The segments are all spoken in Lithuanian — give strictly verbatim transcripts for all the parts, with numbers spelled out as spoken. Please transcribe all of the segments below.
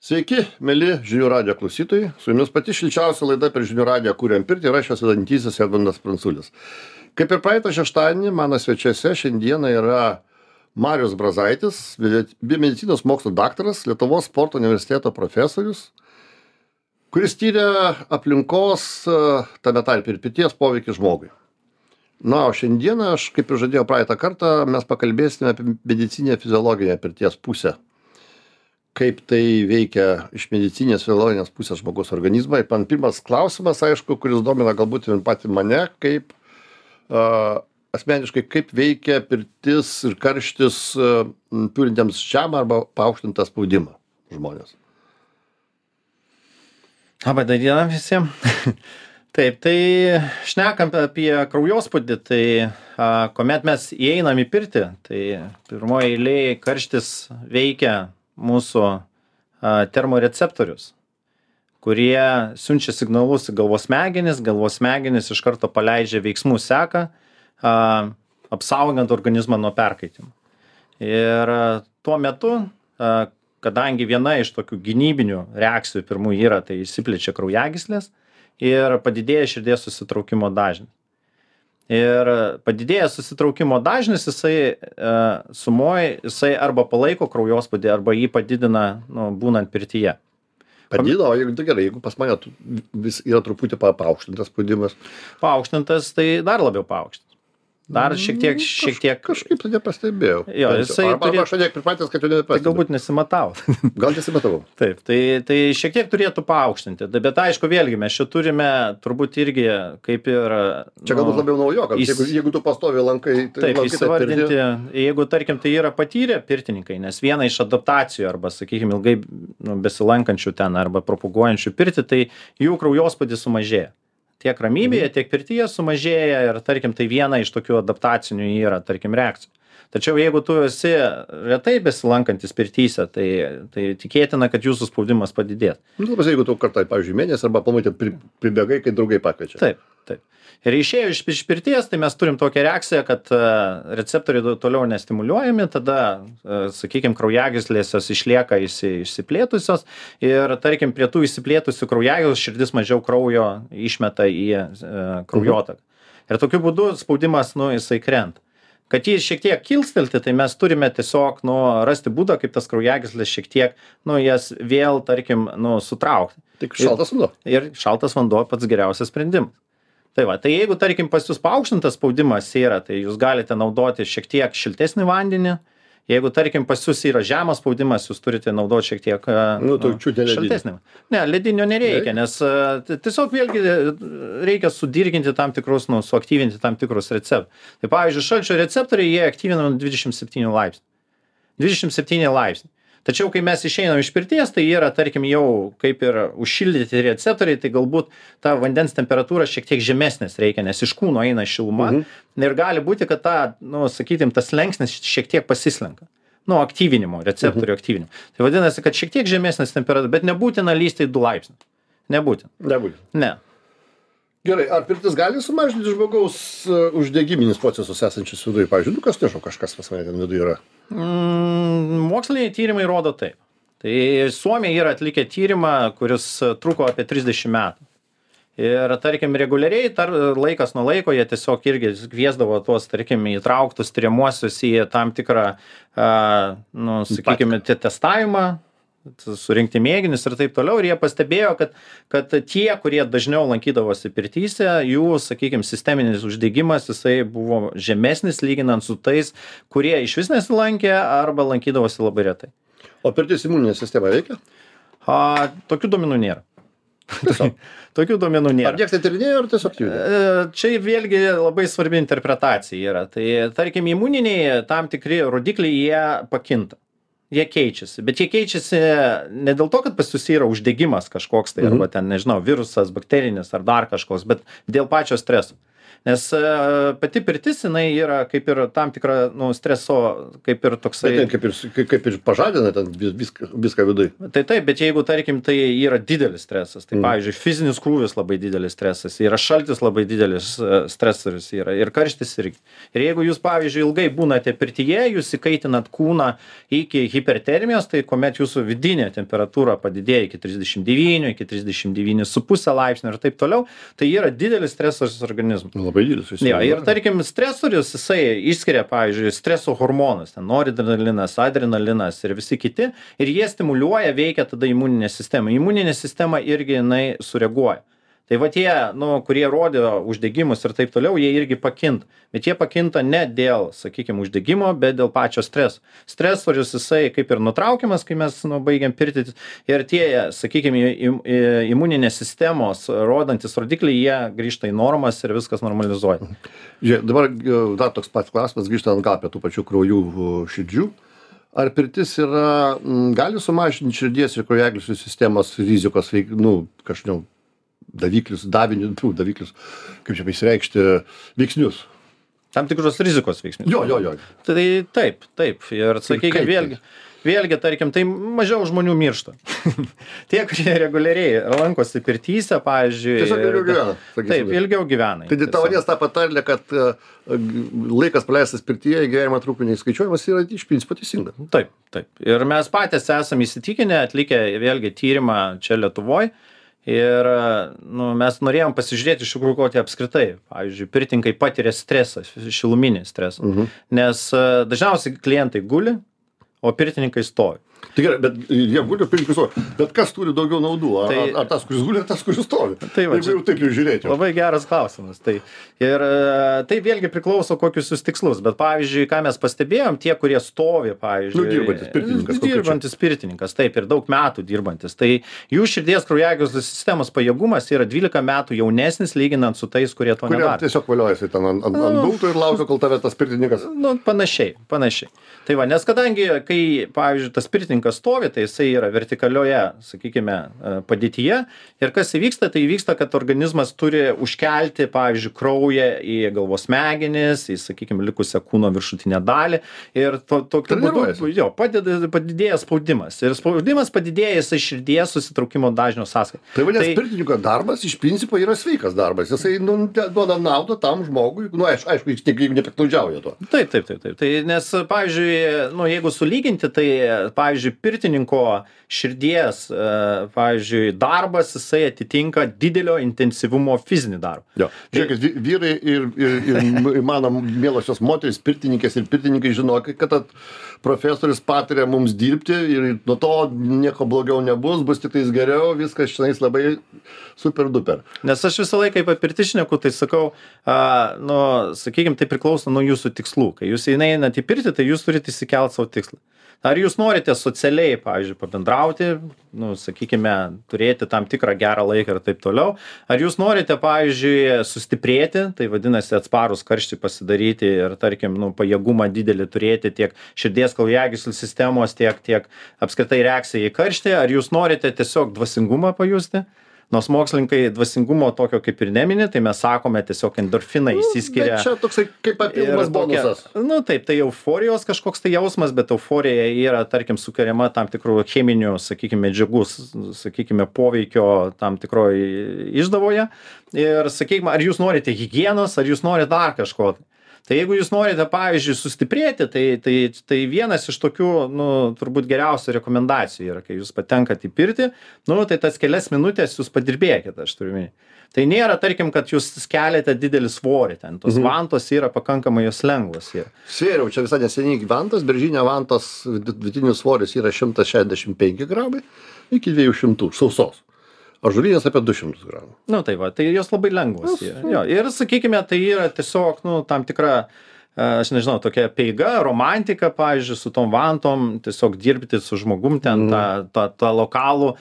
Sveiki, mėly Žinių radijo klausytojai. Su jumis pati šilčiausia laida per Žinių radiją Kuriam pirtį ir aš jos vedantysis Edmundas Pranculis. Kaip ir praeitą šeštadienį, mano svečiuose šiandieną yra Marius Brazaitis, biomedicinos mokslo daktaras, Lietuvos sporto universiteto profesorius, kuris tyria aplinkos, tame tarpe ir pirties poveikį žmogui. Na, o šiandieną, aš kaip ir žadėjau praeitą kartą, mes pakalbėsime apie medicinę fiziologinę pirties pusę. Kaip tai veikia iš medicinės fiziologinės pusės žmogaus organizmą. Ir man pirmas klausimas, aišku, kuris domina galbūt ir patį mane, kaip uh, asmeniškai, kaip veikia pirtis ir karštis uh, turintiems žemą arba paaukštintą spaudimą žmonės. Labą dieną visiems. Taip, tai šnekam apie kraujospūdį, tai a, kuomet mes įeinam į pirtį, tai pirmoje eilėje karštis veikia mūsų a, termoreceptorius, kurie siunčia signalus į galvos smegenis, galvos smegenis iš karto paleidžia veiksmų seką, a, apsaugant organizmą nuo perkaitimo. Ir a, tuo metu, a, kadangi viena iš tokių gynybinių reakcijų pirmų yra, tai išsiplečia kraujagyslės, ir padidėja širdies susitraukimo dažnis. Ir padidėjęs susitraukimo dažnis, jisai e, sumoj, jisai arba palaiko kraujospūdį, arba jį padidina, nu, būnant pirtyje. Padidina, o jeigu tai gerai, jeigu pas mane vis yra truputį pa- paaukštintas spaudimas. Paaukštintas, tai dar labiau paaukštintas. Dar šiek tiek, šiek tiek... Kažkaip tai nepastebėjau. Jo, jisai arba turėtų- aš šiek tiek pripratęs, kad jau Tai nepastebėjau. galbūt nesimatau. Gal nesimatavau. Taip, tai, tai šiek tiek turėtų paaukštinti. Bet aišku, vėlgi, mes čia turime turbūt irgi kaip ir... Čia galbūt labiau naujokams. jis- Jeigu, jeigu tu pastovi lankai, tai Taip, lankai įsivardinti, pirty. jeigu, tarkim, tai yra patyrę pirtininkai, nes viena iš adaptacijų arba, sakykime, ilgai nu, besilankančių ten arba propaguojančių pirtį, tai jų kraujospūdis sumažėja. Tiek ramybėje, tiek pirtyje sumažėja ir, tarkim, tai viena iš tokių adaptacinių yra, tarkim, reakcijų. Tačiau jeigu tu esi retai besilankantis pirtyse, tai, tai tikėtina, kad jūsų spaudimas padidės. Nu, tai jeigu tu kartą, pavyzdžiui, mėnesį arba pamatė pri, pribėgai, kai draugai pakviečia. Taip, taip. Ir išėjo iš, iš pirties, tai mes turim tokią reakciją, kad uh, receptoriai toliau nestimuliuojami, tada, uh, sakykime, kraujagyslės jos išlieka išsi, išsiplėtusios ir, tarkim, prie tų išsiplėtusių kraujagyslių širdis mažiau kraujo išmeta į uh, kraujotaką. Mhm. Ir tokiu būdu spaudimas, nu, jisai krenta. Kad jį šiek tiek kilstelti, tai mes turime tiesiog, nu, rasti būdą, kaip tas kraujagyslės šiek tiek, nu, jas vėl, tarkim, nu, sutraukti. Tik šaltas vanduo. Ir šaltas vanduo pats geriausias sprendimas. Tai va, tai jeigu, tarkim, pas jūs paaukštintas spaudimas yra, tai jūs galite naudoti šiek tiek šiltesnį vandenį. Jeigu, tarkim, pas jūs yra žemas spaudimas, jūs turite naudoti šiek tiek Nu, tu čiutė ledinį. šiltesnį. Ne, ledinio nereikia, nes a, t- tiesiog vėlgi reikia sudirginti tam tikrus, nu, suaktyvinti tam tikrus receptorius. Tai pavyzdžiui, šalčio receptoriai, jie aktyvinami dvidešimt septyni laipsnių. dvidešimt septyni laipsniai. Tačiau, kai mes išeinam iš pirties, tai yra, tarkim, jau kaip ir užšildyti receptoriai, tai galbūt ta vandens temperatūra šiek tiek žemesnės reikia, nes iš kūno eina šiluma. Mhm. Ir gali būti, kad ta, nu, sakykim, tas slengsnis šiek tiek pasislenka. Nu, aktyvinimo, receptorių aktyvinimo. Tai vadinasi, kad šiek tiek žemesnės temperatūra, bet nebūtina lysti į du laipsnius. Nebūtina. Nebūtų. Ne. Gerai, ar pirtis gali sumažinti žmogaus uh, uždegiminius procesus esančius viduje? Pavyzdžiui, nu kas nežinau, kažkas pas mane ten viduje yra. Mm, moksliniai tyrimai rodo taip. Tai Suomiai yra atlikę tyrimą, kuris truko apie trisdešimt metų. Ir, tarkim, reguliariai tar, laikas nuo laiko jie tiesiog irgi kviesdavo tuos, tarkim, įtrauktus tyriamuosius į tam tikrą, a, nu, sakykime, te- testavimą, surinkti mėginius ir taip toliau. Ir jie pastebėjo, kad, kad tie, kurie dažniau lankydavosi pirtyse, jų, sakykime, sisteminis uždegimas, jisai buvo žemesnis lyginant su tais, kurie iš vis nesilankė arba lankydavosi labai retai. O pirtis imuninė sistema veikia? A, tokių duomenų nėra. Tiesiog. Tokių duomenų Ar nėra. niekas tai tyrinėjo, ar tiesiog judė? E, Čia vėlgi labai svarbi interpretacija yra. Tai, tarkim, imuniniai tam tikri rodikliai, jie pakinta. Jie keičiasi, bet jie keičiasi ne dėl to, kad pas jūs yra uždegimas kažkoks tai, Mhm. arba ten, nežinau, virusas, bakterinis ar dar kažkoks, bet dėl pačio streso. Nes uh, pati pirtis, jinai yra kaip ir tam tikra, nu, streso, kaip ir toksai... Bet kaip ir, kaip, kaip ir pažadina ten viską, viską vidui. Tai taip, bet jeigu, tarkim, tai yra didelis stresas, tai, mm. pavyzdžiui, fizinis krūvis labai didelis stresas, yra šaltis labai didelis stresorius, yra ir karštis irgi. Ir jeigu jūs, pavyzdžiui, ilgai būnate pirtyje, jūs įkaitinat kūną iki hipertermijos, tai kuomet jūsų vidinė temperatūra padidėja iki trisdešimt devynių, iki trisdešimt devynių su pusė laipsnio ir taip toliau, tai yra didelis stresorius organizmui. Labai didelis. Ja, ir tarkim, stresorius, jisai išskiria, pavyzdžiui, streso hormonus, ten noradrenalinas, adrenalinas ir visi kiti, ir jie stimuliuoja, veikia tada imuninę sistemą. Imuninė sistema irgi jinai sureaguoja. Tai va tie, nu, kurie rodė uždegimus ir taip toliau, jie irgi pakinta. Bet jie pakinta ne dėl, sakykime, uždegimo, bet dėl pačio streso. Stresorius jisai kaip ir nutraukiamas, kai mes nu, baigiam pirtis. Ir tie, sakykime, im, imuninės sistemos rodantis rodikliai, jie grįžta į normas ir viskas normalizuoja. Žiūrėk, dabar dar toks pats klausimas, grįžtant atgal apie tų pačių kraujų širdžių. Ar pirtis yra, gali sumažinti širdies ir kraujagyslių sistemos rizikos, nu, kažkaip, daviklius, davinius, daviklius, kaip čia pasireikšti, veiksnius? Tam tikros rizikos veiksnius. Jo, jo, jo. Tai taip, taip. Ir sakykime, vėlgi, vėlgi, tarkim, tai mažiau žmonių miršta. Tie, kurie reguliariai lankosi pirtyse, pavyzdžiui. Tiesiog ilgiau gyvena. Taip, ilgiau gyvena. Tai tavo nes tą patarlę, kad laikas praleistas pirtyje, gyvenimo trukmė neįskaičiuojamas, yra iš principo teisinga. Taip, taip. Ir mes patys esame įsitikinę, atlikę vėlgi tyrimą čia Lietuvoje. Ir nu, mes norėjom pasižiūrėti iš tikrųjų, kokie apskritai, pavyzdžiui, pirtininkai patiria stresą, šiluminį stresą. Uh-huh. Nes dažniausiai klientai guli, o pirtininkai stovi. Tai gerai, bet jie guli, pirtininkai stovi. Bet kas turi daugiau naudų? Ar, tai, ar tas, kuris guli, ar tas, kuris stovi? Tai va, jeigu jau taip jau žiūrėti. Labai geras klausimas. Tai, ir tai vėlgi priklauso, kokius jūs tikslus. Bet pavyzdžiui, ką mes pastebėjom, tie, kurie stovi, pavyzdžiui. Nu, dirbantis pirtininkas. Dirbantis pirtininkas, taip, ir daug metų dirbantis. Tai jų širdies kraujagyslių sistemos pajėgumas yra dvylika metų jaunesnis, lyginant su tais, kurie to nedaro. Kurie tiesiog valiojasi ten ant, ant, ant gultų ir laukia, kol tave tas pirtininkas. Nu, panašiai, panašiai. Tai va, nes kadangi, kai, pavyzdžiui, tas pirtininkas stovi, tai jisai yra vertikalioje, sakykime, padėtyje. Ir kas įvyksta, tai įvyksta, kad organizmas turi užkelti, pavyzdžiui, kraują į galvos smegenis, į, sakykime, likusią kūno viršutinę dalį. Ir to, tokiu būdu, jo, padeda, padidėja spaudimas. Ir spaudimas padidėja jisai širdies susitraukimo dažnio sąskaita. Tai vadinasi, tai, pirtininko darbas iš principo yra sveikas darbas. Jisai nu, duoda naudą tam žmogui. Nu, aišku, aišku jis nepiktnaudžiauja to. Taip, taip, taip, taip. Tai, nes, pavyzdžiui, nu, jeigu sulyginti, tai, pavyzdžiui, pirtininko širdies, pavyzdžiui, darbas, jisai atitinka didelio intensyvumo fizinį darbą. Jo. Žiūrėkit, vyrai ir, ir, ir mano mielosios moterys, pirtininkės ir pirtininkai žinokit, kad profesorius patiria mums dirbti ir nuo to nieko blogiau nebus, bus tik tais geriau, viskas šiandien labai super duper. Nes aš visą laiką apie pirtį šneku, tai sakau, a, nu, sakykime, tai priklauso nuo jūsų tikslų. Kai jūs einate į pirtį, tai jūs turite įsikelti savo tikslą. Ar jūs norite socialiai, pavyzdžiui, pabendrauti, nu, sakykime, turėti tam tikrą gerą laiką ir taip toliau. Ar jūs norite, pavyzdžiui, sustiprėti, tai vadinasi atsparus karštį pasidaryti ir, tarkim, nu, pajėgumą didelį turėti tiek širdies kraujagyslių sistemos, tiek, tiek apskritai reakcija į karštį. Ar jūs norite tiesiog dvasingumą pajusti? Nors mokslininkai dvasingumo tokio kaip ir nemini, tai mes sakome tiesiog endorfinai išsiskiria. Bet čia toksai kaip papildomas bonusas. Nu taip, tai euforijos kažkoks tai jausmas, bet euforija yra, tarkim, sukuriama tam tikrų cheminių, sakykime, medžiagų, sakykime, poveikio tam tikroje išdavoje. Ir, sakykime, ar jūs norite higienos, ar jūs norite dar kažko. Tai jeigu jūs norite, pavyzdžiui, sustiprėti, tai, tai, tai vienas iš tokių, nu, turbūt geriausių rekomendacijų yra, kai jūs patenkate į pirtį, nu, tai tas kelias minutės jūs padirbėkite, aš turiu minėti. Tai nėra, tarkim, kad jūs keliate didelį svorį ten, tos mhm. vantos yra pakankamai jos lengvos. Yra. Svėriau, čia visai neseniai vantos, beržinio vantos vidutinis svoris yra šimtas šešiasdešimt penki gramai iki dviejų šimtų sausos. Ąžuolinės apie du šimtus gramų. Nu tai va, tai jos labai lengvos. Jo, ir sakykime, tai yra tiesiog, nu, tam tikra, aš nežinau, tokia peiga, romantika, pavyzdžiui, su tom vantom, tiesiog dirbti su žmogum ten, mm. tą, tą, tą lokalų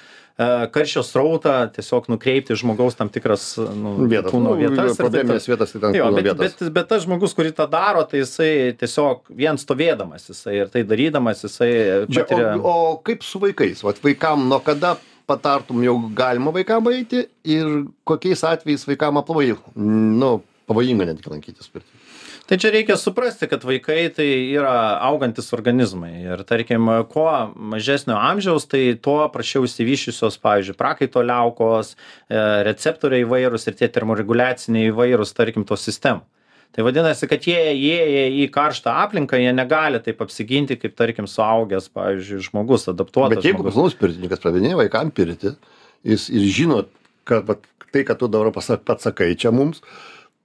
karščio srautą, tiesiog nukreipti žmogaus tam tikras nu, vietas, kūno nu, vietas. Probleminės vietas, tai ten jo, kūno bet, vietas. Bet, bet tas žmogus, kurį tą daro, tai jisai tiesiog vien stovėdamas, jisai ir tai darydamas, jisai patiria... O, o kaip su vaikais? Vat vaikam nuo kada patartum jau galima vaikam eiti ir kokiais atvejais vaikam aplamai, nu, pavojinga netgi lankytis pirtyje. Tai čia reikia suprasti, kad vaikai tai yra augantis organizmai ir tarkim, kuo mažesnio amžiaus, tai tuo prašiau įsivyščiusios, pavyzdžiui, prakaito liaukos, receptoriai įvairūs ir tie termoreguliaciniai įvairūs, tarkim, tos sistemų. Tai vadinasi, kad jie įėję į karštą aplinką, jie negali taip apsiginti, kaip, tarkim, suaugęs, pavyzdžiui, žmogus, adaptuotas. Bet jeigu pas mus pirtininkas pravinėja vaikam pirti, jis ir žino, kad vat, tai, kad tu dabar pats sakai čia mums,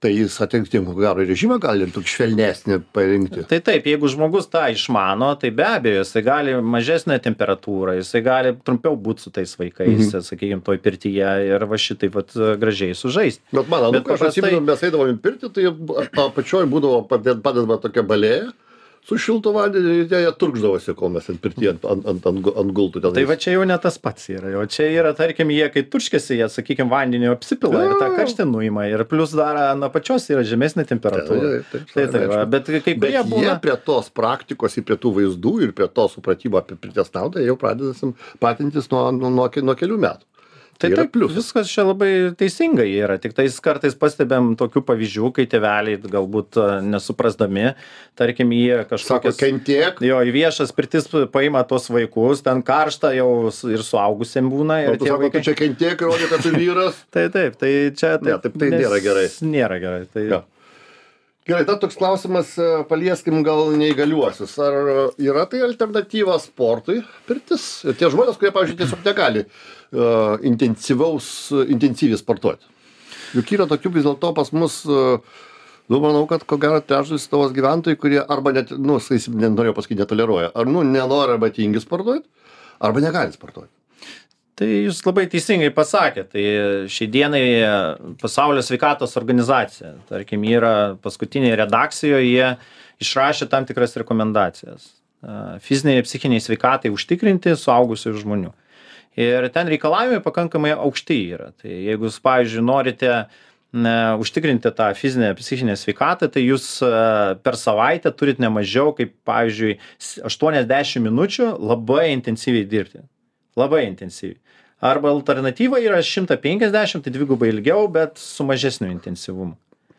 tai jis atitinkamai ko gero režimą gali ir tokį švelnesnį parinkti. Tai taip, jeigu žmogus tą išmano, tai be abejo, jisai gali mažesnę temperatūrą, jisai gali trumpiau būti su tais vaikais, mhm. sakykime, toj pirtyje ir va šitaip vat, gražiai sužaisti. Bet man, nu, aš paprastai... atsimenu, mes eidavom į pirtį, tai apačioj būdavo padedama tokia balėja, su šiltu vandeniu ir jie turkšdavosi, kol mes ant pirtyje ant, ant, ant, ant gultų. Tenais. Tai va čia jau ne tas pats yra. O čia yra, tarkim, jie kai turškėsi, jie, sakykime, vandeniu apsipila ir tą karštį nuima. Ir plus dar ant apačios yra žemesnė temperatūra. Taip, taip, tai, tai, va, bet kai kurie bet būna... jie prie tos praktikos, prie tų vaizdų ir prie to supratimo apie pirties naudą jau pradėsim patintis nuo, nuo, nuo, nuo kelių metų. Tai taip, viskas čia labai teisingai yra, tik tais kartais pastebėm tokių pavyzdžių, kai tėveliai galbūt nesuprasdami, tarkim, jie kažkokias... Sako, kentiek. Jo, į viešas pirtis paima tos vaikus, ten karšta jau ir suaugusiem būna. Ir tu sako, vaikai... tu čia kentiek, rodė, kad tu vyras. tai taip, tai čia... Taip, ne, taip tai nėra gerai. Nėra gerai. Tai... Ja. Gerai, dar toks klausimas, palieskim gal neįgaliuosius. Ar yra tai alternatyva sportui pirtis? Ir tie žmonės, kurie, pavyzdžiui, tiesiog negali uh, intensyvaus, intensyviai sportuoti. Juk yra tokių vis dėlto pas mus, uh, nu, manau, kad ko gero trečdalis tavos gyventojai, kurie arba net, nu, sakysim, norėjau pasakyti, netoleruoja, ar, nu, nenori arba tingi sportuoti, arba negali sportuoti. Tai jūs labai teisingai pasakėte, tai šiai dienai Pasaulio sveikatos organizacija, tarkim, yra paskutinėje redakcijoje, jie išrašė tam tikras rekomendacijas. Fiziniai ir psichiniai sveikatai užtikrinti suaugusių žmonių. Ir ten reikalavimai pakankamai aukšti yra. Tai jeigu jūs, pavyzdžiui, norite ne, užtikrinti tą fizinę, psichinę sveikatą, tai jūs per savaitę turit ne mažiau kaip, pavyzdžiui, aštuoniasdešimt minučių labai intensyviai dirbti. Labai intensyviai. Arba alternatyva yra šimtas penkiasdešimt, tai dvigubai ilgiau, bet su mažesniu intensyvumu.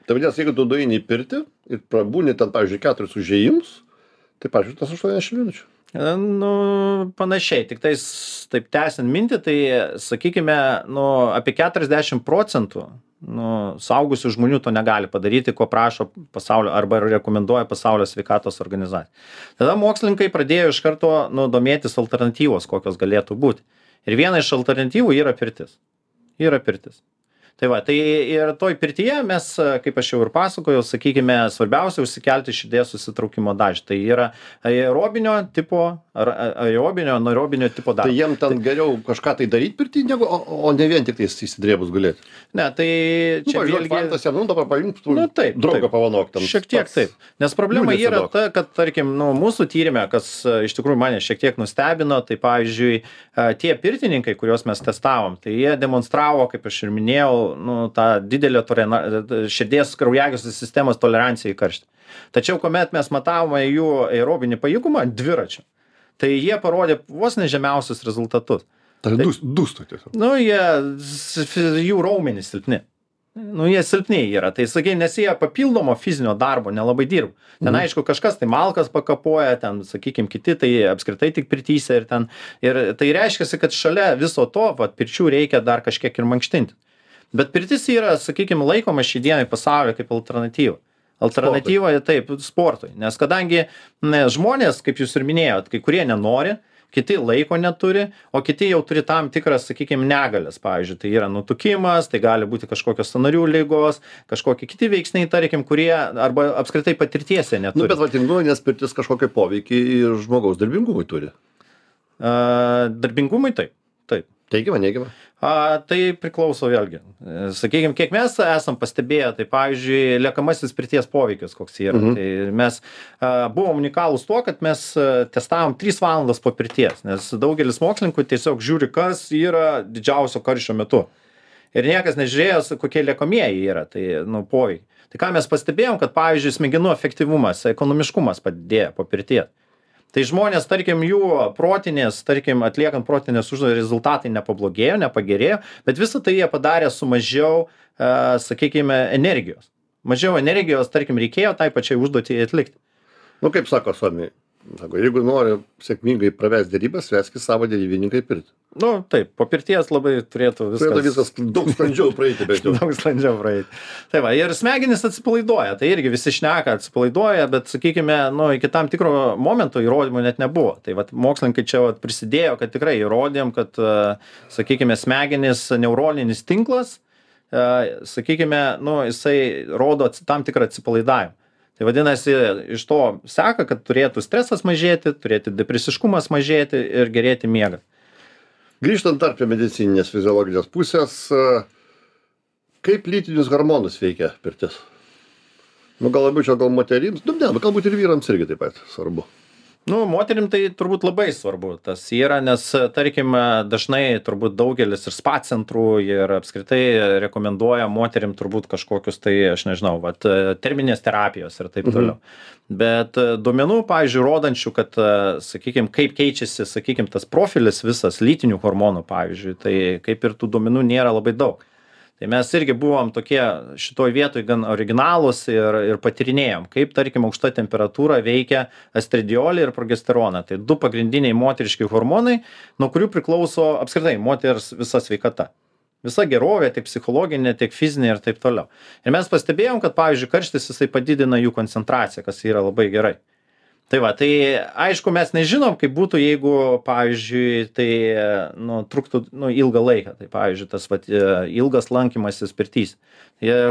Tai vadinasi, jeigu tu duini į pirtį ir prabūni ten, pavyzdžiui, keturis užėjimus, tai, pavyzdžiui, tas aštuoniasdešimt minučių. Nu, panašiai, tik tais, taip tęsiant mintį, tai, sakykime, nu, apie keturiasdešimt procentų nu, suaugusių žmonių to negali padaryti, ko prašo pasaulio arba rekomenduoja Pasaulio sveikatos organizacija. Tada mokslininkai pradėjo iš karto nu, domėtis alternatyvos, kokios galėtų būti. Ir viena iš alternatyvų yra pirtis. Yra pirtis. Tai va, tai ir toj pirtyje mes, kaip aš jau ir pasakojau, sakykime, svarbiausia užsikelti širdies susitraukimo dažnį. Tai yra aerobinio tipo, ar aerobinio, anaerobinio tipo dažnis. Tai jiem ten tai, geriau kažką tai daryti pirtį, negu, o, o ne vien tik tai įsidrėbus gulėti. Ne, tai čia nu, vėlgi... Fantas jam, nu, dabar paimti, tu nu, taip, draugą taip, pavanok tam. Šiek tiek taip. Nes problema yra ta, kad, tarkim, nu, mūsų tyrimė, kas iš tikrųjų mane šiek tiek nustebino, tai pavyzdžiui, tie pirtininkai, kuriuos mes testavom, tai jie demonstravo, kaip aš ir minėjau, nu, tą didelę širdies kraujagyslių sistemos toleranciją į karštį. Tačiau, kuomet mes matavome jų aerobinį pajėgumą dviračiu, tai jie parodė vos nežemiausius rezultatus. Tai dūsto tiesiog. Nu, jie, jų raumenys silpni. Nu, jie silpniai yra. Tai, sakai, nes jie papildomo fizinio darbo nelabai dirba. Ten, mm. aišku, kažkas tai malkas pakapoja, ten, sakykime, kiti, tai apskritai tik pirtyse ir ten. Ir tai reiškia, kad šalia viso to, vat, pirčių reikia dar kažkiek ir mankštinti. Bet pirtis yra, sakykime, laikoma šį dienai pasaulyje kaip alternatyva. Alternatyva, sportui. Taip, sportui. Nes kadangi ne, žmonės, kaip jūs ir minėjot, kai kurie nenori, kiti laiko neturi, o kiti jau turi tam tikras, sakykime, negalės. Pavyzdžiui, tai yra nutukimas, tai gali būti kažkokios sąnarių ligos, kažkokie kiti veiksniai, tarkim, kurie arba apskritai patirtiese neturi. Nu, bet vatingu, nes pirtis kažkokią poveikį ir žmogaus darbingumui turi. Uh, darbingumui taip. Taip. Teigiama, neigiama? A, tai priklauso vėlgi. Sakykime, kiek mes esam pastebėję, tai pavyzdžiui, liekamasis pirties poveikis koks yra. Mhm. Tai mes a, buvom unikalūs tuo, kad mes testavom tris valandas po pirties, nes daugelis mokslininkų tiesiog žiūri, kas yra didžiausio karščio metu. Ir niekas nežiūrėjo, kokie liekamieji yra, tai, nu, poveikiai. Tai ką mes pastebėjom, kad, pavyzdžiui, smegenų efektyvumas, ekonomiškumas padidėjo po pirties. Tai žmonės, tarkim, jų protinės, tarkim, atliekant protinės užduotis rezultatai nepablogėjo, nepagerėjo, bet visą tai jie padarė su mažiau, uh, sakykime, energijos. mažiau energijos, tarkim, reikėjo tai pačiai užduotį atlikti. Nu, kaip sako Suomiai, sako, jeigu nori sėkmingai pravesti dėrybas, veskis savo dėrybininkai pirti. Nu, taip, po pirties labai turėtų viskas... Turėtų viskas daug sklandžiau praeiti, bet jau. daug sklandžiau praeiti. Tai va, ir smegenys atsipalaiduoja, tai irgi visi šneka atsipalaiduoja, bet, sakykime, nu, iki tam tikro momento įrodymų net nebuvo. Tai va, mokslininkai čia va, prisidėjo, kad tikrai įrodėm, kad, sakykime, smegenys neuroninis tinklas, sakykime, nu, jisai rodo tam tikrą atsipalaidavimą. Tai vadinasi, iš to seka, kad turėtų stresas mažėti, turėtų depresiškumas mažėti ir gerėti miegą. Grįžtant dar prie medicininės fiziologinės pusės, kaip lytinius hormonus veikia pirtis? Nu, gal labiau čia gal moterims, nu, ne, galbūt ir vyrams irgi taip pat svarbu. Nu, moterim tai turbūt labai svarbu tas yra, nes, tarkim, dažnai turbūt daugelis ir spa centrų ir apskritai rekomenduoja moterim turbūt kažkokius tai, aš nežinau, vat, terminės terapijos ir taip toliau. Mhm. Bet duomenų, pavyzdžiui, rodančių, kad, sakykime, kaip keičiasi, sakykime, tas profilis visas lytinių hormonų, pavyzdžiui, tai kaip ir tų duomenų nėra labai daug. Tai mes irgi buvom tokie šitoj vietoj gan originalūs ir, ir patyrinėjom, kaip, tarkim, aukšta temperatūra veikia estradiolį ir progesteroną. Tai du pagrindiniai moteriški hormonai, nuo kurių priklauso apskritai moters visa sveikata. Visa gerovė, tiek psichologinė, tiek fizinė ir taip toliau. Ir mes pastebėjom, kad, pavyzdžiui, karštis jisai padidina jų koncentraciją, kas yra labai gerai. Tai va, tai aišku, mes nežinom, kaip būtų, jeigu, pavyzdžiui, tai nu, truktų nu, ilgą laiką. Tai, pavyzdžiui, tas va, ilgas lankymasis pirtys.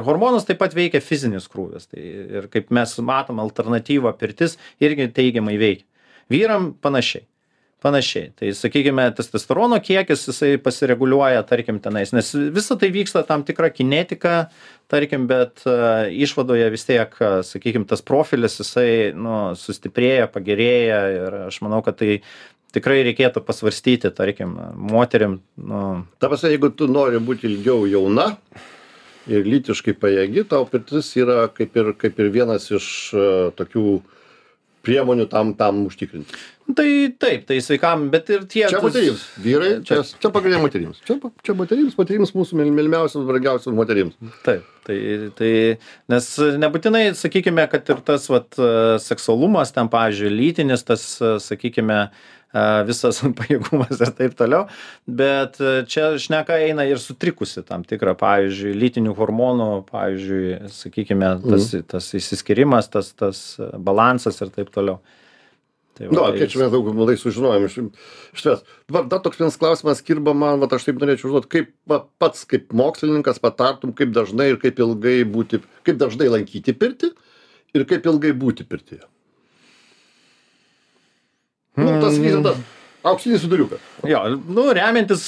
Hormonus taip pat veikia fizinis krūvis. Tai, ir kaip mes matom, alternatyva pirtis irgi teigiamai veikia. Vyram panašiai. Panašiai. Tai, sakykime, testosterono kiekis, jisai pasireguliuoja, tarkim, tenais, nes visa tai vyksta tam tikra kinetika, tarkim, bet uh, išvadoje vis tiek, uh, sakykime, tas profilis, jisai, nu, sustiprėja, pagerėja ir aš manau, kad tai tikrai reikėtų pasvarstyti, tarkim, moterim, nu... Ta prasme, jeigu tu nori būti ilgiau jauna ir lytiškai pajėgi, tau pirtis yra kaip ir, kaip ir vienas iš uh, tokių priemonių tam, tam užtikrinti. Tai taip, tai sveikam, bet ir tie... Čia moterims, vyrai, čia, čia pagrindinė moterims. Čia, čia moterims, moterims mūsų mylimiausios, brangiausios moterims. Taip, tai, tai, nes nebūtinai, sakykime, kad ir tas vat, seksualumas, ten, pavyzdžiui, lytinis, tas, sakykime, visas pajėgumas ir taip toliau, bet čia šneka eina ir sutrikusi tam tikrą, pavyzdžiui, lytinių hormonų, pavyzdžiui, sakykime, tas, mm. tas įsiskirimas, tas, tas balansas ir taip toliau. Tai va, nu, kiek čia mes daug malai sužinojom iš, iš tavęs. Dabar dar toks vienas klausimas kirba man, vat aš taip norėčiau užduoti, kaip va, pats kaip mokslininkas patartum, kaip dažnai ir kaip ilgai būti, kaip dažnai lankyti pirtį ir kaip ilgai būti pirtyje. Nu, tas vyras, auksinis viduriukas. Jo, nu, remiantis,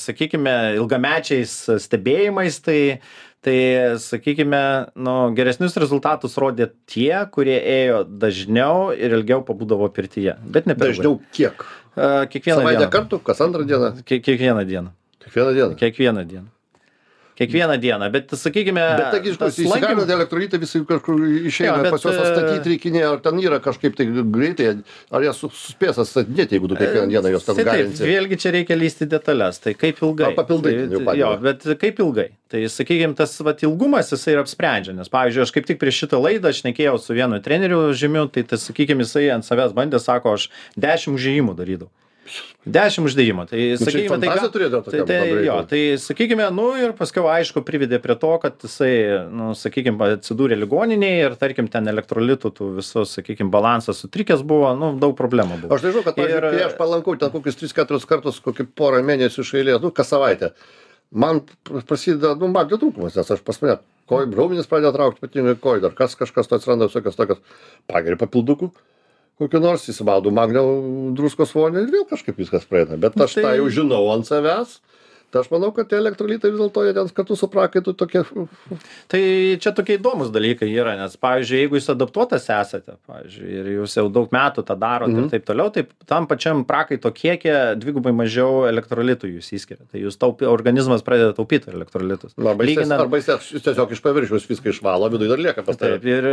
sakykime, ilgamečiais stebėjimais, tai Tai, sakykime, nu, geresnius rezultatus rodė tie, kurie ėjo dažniau ir ilgiau pabūdavo pirtyje. Bet ne per dažniau kiek? Uh, kiekvieną Savaitę dieną. kartų, kas antrą dieną? Kiek, kiekvieną dieną. Kiekvieną dieną? Kiekvieną dieną. Kiekvieną dieną, bet, sakykime... Bet, taigi, įsigalint elektrolitai visi kažkur išeina, jo, bet, pas juos atstatyti reikinė, ar ten yra kažkaip tai greitai, ar jie suspės atstatinėti, jeigu tu kiekvieną dieną jos ten galinsi. Taip, vėlgi čia reikia lysti detalės, tai kaip ilgai. Ar papildai. Tai, jo, bet kaip ilgai. Tai, sakykime, tas vat, ilgumas jisai ir apsprendžia, nes, pavyzdžiui, aš kaip tik prieš šitą laidą šnekėjau su vienu treneriu žymiu, tai, tai sakykime, jisai ant savęs bandė, sako, aš dešimt užėjimų darydavau. Dešimt uždėjimų. Tai, nu, sakykime, tai, ga, tai, tai, jo, tai, sakykime, nu ir paskiau, aišku, privedė prie to, kad jisai, nu, sakykime, atsidūrė ligoninėje ir, tarkim, ten elektrolitų tų visos, sakykime, balansas sutrikęs buvo, nu, daug problemų buvo. Aš nežinau, kad, pavyzdžiui, ir... kai aš palankau ten kokius tris keturis kartus, kokį porą mėnesių iš eilės, nu, kas savaitę, man prasideda, nu, magnio trūkumas, nes aš pas mane kojų, raumenis pradėjo traukti, ypatingai kojų, dar kas kažkas to atsiranda, visokios tokios, pageri papildukų. Kokiu nors įsimaudų magnio druskos vonį ir vėl kažkaip viskas praeina. Bet aš tai... tą jau žinau ant savęs. Tai aš manau, kad tie elektrolitai vis dėlto jie ten kartu su prakaitu tokie... Tai čia tokie įdomus dalykai yra, nes, pavyzdžiui, jeigu jūs adaptuotas esate, pavyzdžiui, ir jūs jau daug metų tą darot mm. ir taip toliau, tai tam pačiam prakaito kiekie dvigubai mažiau elektrolitų jūs įskiria. Tai jūs taupi, organizmas pradeda taupyti elektrolitus. Arba lyginant... jis, jis tiesiog iš paviršiaus viską išvalo, viduje dar lieka pas tave. Taip, ir,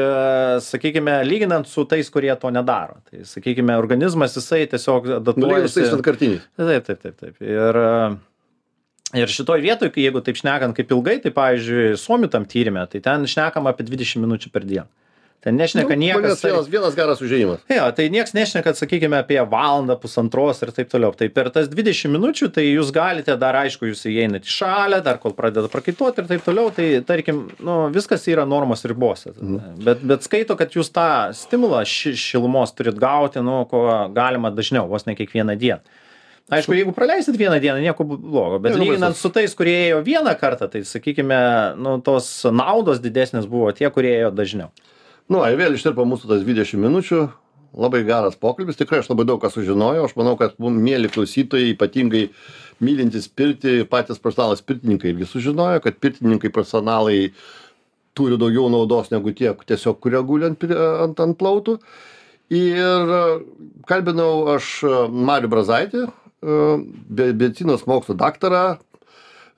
sakykime, lyginant su tais, kurie to nedaro. Tai, sakykime, organizmas jisai tiesiog adaptuojasi... Nulyginus tais vienkartiniais. Taip, taip, taip, taip. Ir... Ir šitoj vietoj, kai jeigu taip šnekant kaip ilgai, tai pavyzdžiui, Suomių tam tyrime, tai ten šnekama apie dvidešim minučių per dieną. Ten nešneka Nu, niekas. manęs vienas, vienas geras užėjimas. Jo, tai nieks nešneka, sakykime, apie valandą, pusantros ir taip toliau. Tai per tas dvidešim minučių, tai jūs galite dar, aišku, jūs įeinate į šalę, dar kol pradeda prakaituoti ir taip toliau, tai tarkim, nu, viskas yra normos ribose. Mhm. Bet, bet skaito, kad jūs tą stimulą ši, šilumos turit gauti, nu, ko galima dažniau, vos ne kiekvieną dieną. Aišku, jeigu praleisit vieną dieną, nieko blogo, bet lyginant su tais, kurie ėjo vieną kartą, tai sakykime, nu, tos naudos didesnės buvo tie, kurie ėjo dažniau. Nu, ai vėl ištirpo mūsų tas dvidešim minučių, labai geras pokalbis, tikrai aš labai daug ką sužinojau, aš manau, kad mums mėly klausytojai, ypatingai mylintis pirtį, patys profesionalas pirtininkai irgi sužinojo, kad pirtininkai profesionalai turi daugiau naudos negu tie, tiesiog kurie guli ant, ant, ant plautų. Ir kalbinau aš Marių Brazaitį, medicinos mokslo daktarą,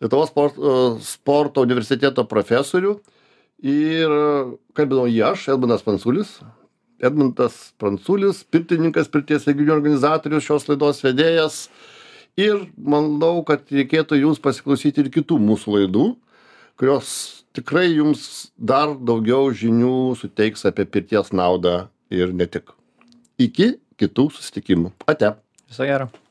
Lietuvos sporto, sporto universiteto profesorių. Ir kalbinau jį aš, Edmundas Pranculis. Edmundas Pranculis, pirtininkas, pirties renginių organizatorius, šios laidos vedėjas. Ir manau, kad reikėtų jums pasiklausyti ir kitų mūsų laidų, kurios tikrai jums dar daugiau žinių suteiks apie pirties naudą ir ne tik. Iki kitų susitikimų. Ate. Viso gero.